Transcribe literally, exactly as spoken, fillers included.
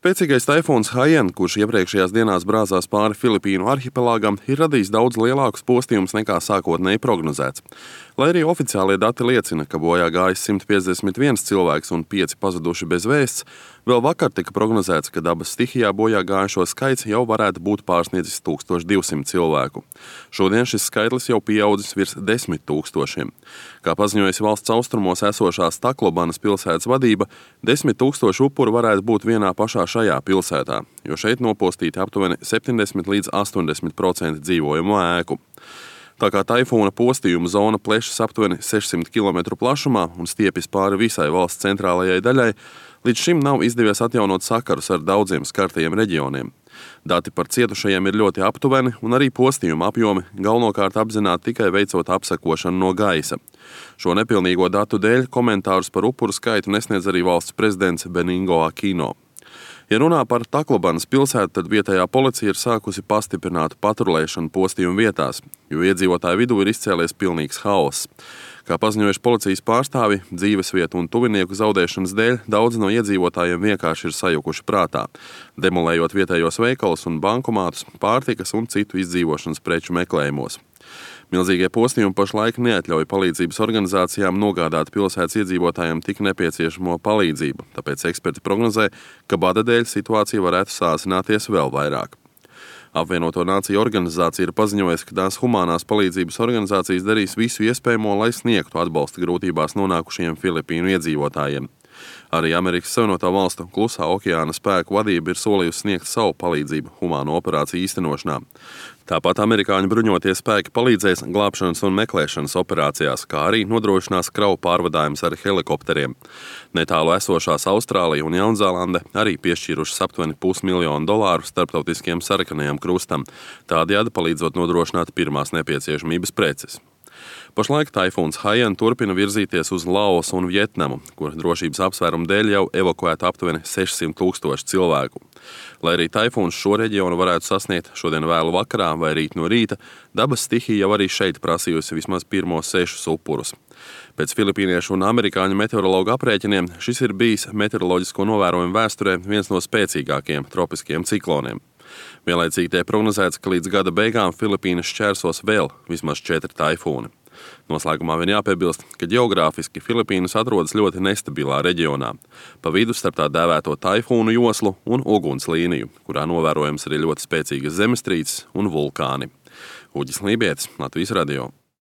Spēcīgais taifūns Haiyan, kurš iepriekšējās dienās brāzās pāri Filipīnu arhipelāgam, ir radījis daudz lielākus postījumus nekā sākotnēji prognozēts. Lai arī oficiālie dati liecina, ka bojā gājis simt piecdesmit viens cilvēks un pieci pazuduši bez vēsts, vēl vakar tika prognozēts, ka dabas stihijā bojā gājušo skaits jau varētu būt pārsniedzis tūkstoš divsimt cilvēku. Šodien šis skaitlis jau pieaudzis virs desmit tūkstošiem. Kā paziņojusi valsts austrumos esošās Taclobanas pilsētas vadība, desmit tūkstoši upuru varētu būt vienā pašā šajā pilsētā, jo šeit nopostīti aptuveni septiņdesmit līdz astoņdesmit procenti dzīvojamo ēku. Tā kā taifūna postījuma zona plešas aptuveni sešsimt kilometru plašumā un stiepjas pāri visai valsts centrālajai daļai, līdz šim nav izdevies atjaunot sakarus ar daudziem skartajiem reģioniem. Dati par cietušajiem ir ļoti aptuveni, un arī postījuma apjomi galvenokārt apzināti tikai veicot apsekošanu no gaisa. Šo nepilnīgo datu dēļ komentārus par upuru skaitu nesniedz arī valsts prezidents Benigno Aquino. Ja runā par Taclobanas pilsētu, tad vietējā policija ir sākusi pastiprinātu patrulēšanu postījuma vietās, jo iedzīvotāju vidū ir izcēlies pilnīgs haoss. Kā paziņojuši policijas pārstāvi, dzīvesvietu un tuvinieku zaudēšanas dēļ daudzi no iedzīvotājiem vienkārši ir sajukuši prātā, demolējot vietējos veikalus un bankomātus, pārtikas un citu izdzīvošanas preču meklējumos. Milzīgie postījumi pašlaik neatļauj palīdzības organizācijām nogādāt pilsētas iedzīvotājiem tik nepieciešamo palīdzību, tāpēc eksperti prognozē, ka bada dēļ situācija varētu sāsināties vēl vairāk. Apvienoto Nāciju organizācija ir paziņojusi, ka tās humānās palīdzības organizācijas darīs visu iespējamo, lai sniegtu atbalstu grūtībās nonākušiem Filipīnu iedzīvotājiem. Arī Amerikas Savienoto Valstu Klusā okeāna spēku vadība ir solījusi sniegt savu palīdzību humāno operāciju īstenošanā. Tāpat amerikāņu bruņotie spēki palīdzēs glābšanas un meklēšanas operācijās, kā arī nodrošinās kravu pārvadājumus ar helikopteriem. Netālu esošās Austrālija un Jaunzēlande arī piešķīrušas aptuveni pusmiljonu dolāru starptautiskiem sarkanajam krustam, tādējādi palīdzot nodrošināt pirmās nepieciešamības preces. Pašlaik taifūns Haiyan turpina virzīties uz Laosu un Vietnamu, kur drošības apsvērumu dēļ jau evakuēta aptuveni sešsimt tūkstoši cilvēku. Lai arī taifūns šo reģionu varētu sasniegt šodien vēlu vakarā vai rīt no rīta, dabas stihija jau arī šeit prasījusi vismaz pirmos sešus upurus. Pēc filipīniešu un amerikāņu meteorologu aprēķiniem šis ir bijis meteoroloģisko novērojumu vēsturē viens no spēcīgākajiem tropiskiem cikloniem. Vienlaicīgi tiek prognozēts, ka līdz gada beigām Filipīnas šķērsos vēl vismaz četri taifūni. Noslēgumā vien jāpiebilst, ka ģeogrāfiski Filipīnas atrodas ļoti nestabilā reģionā, pa vidu starp tā dēvēto taifūnu joslu un uguns līniju, kurā novērojams arī ļoti spēcīgas zemestrīces un vulkāni. Uģis Lībietis, Latvijas radio.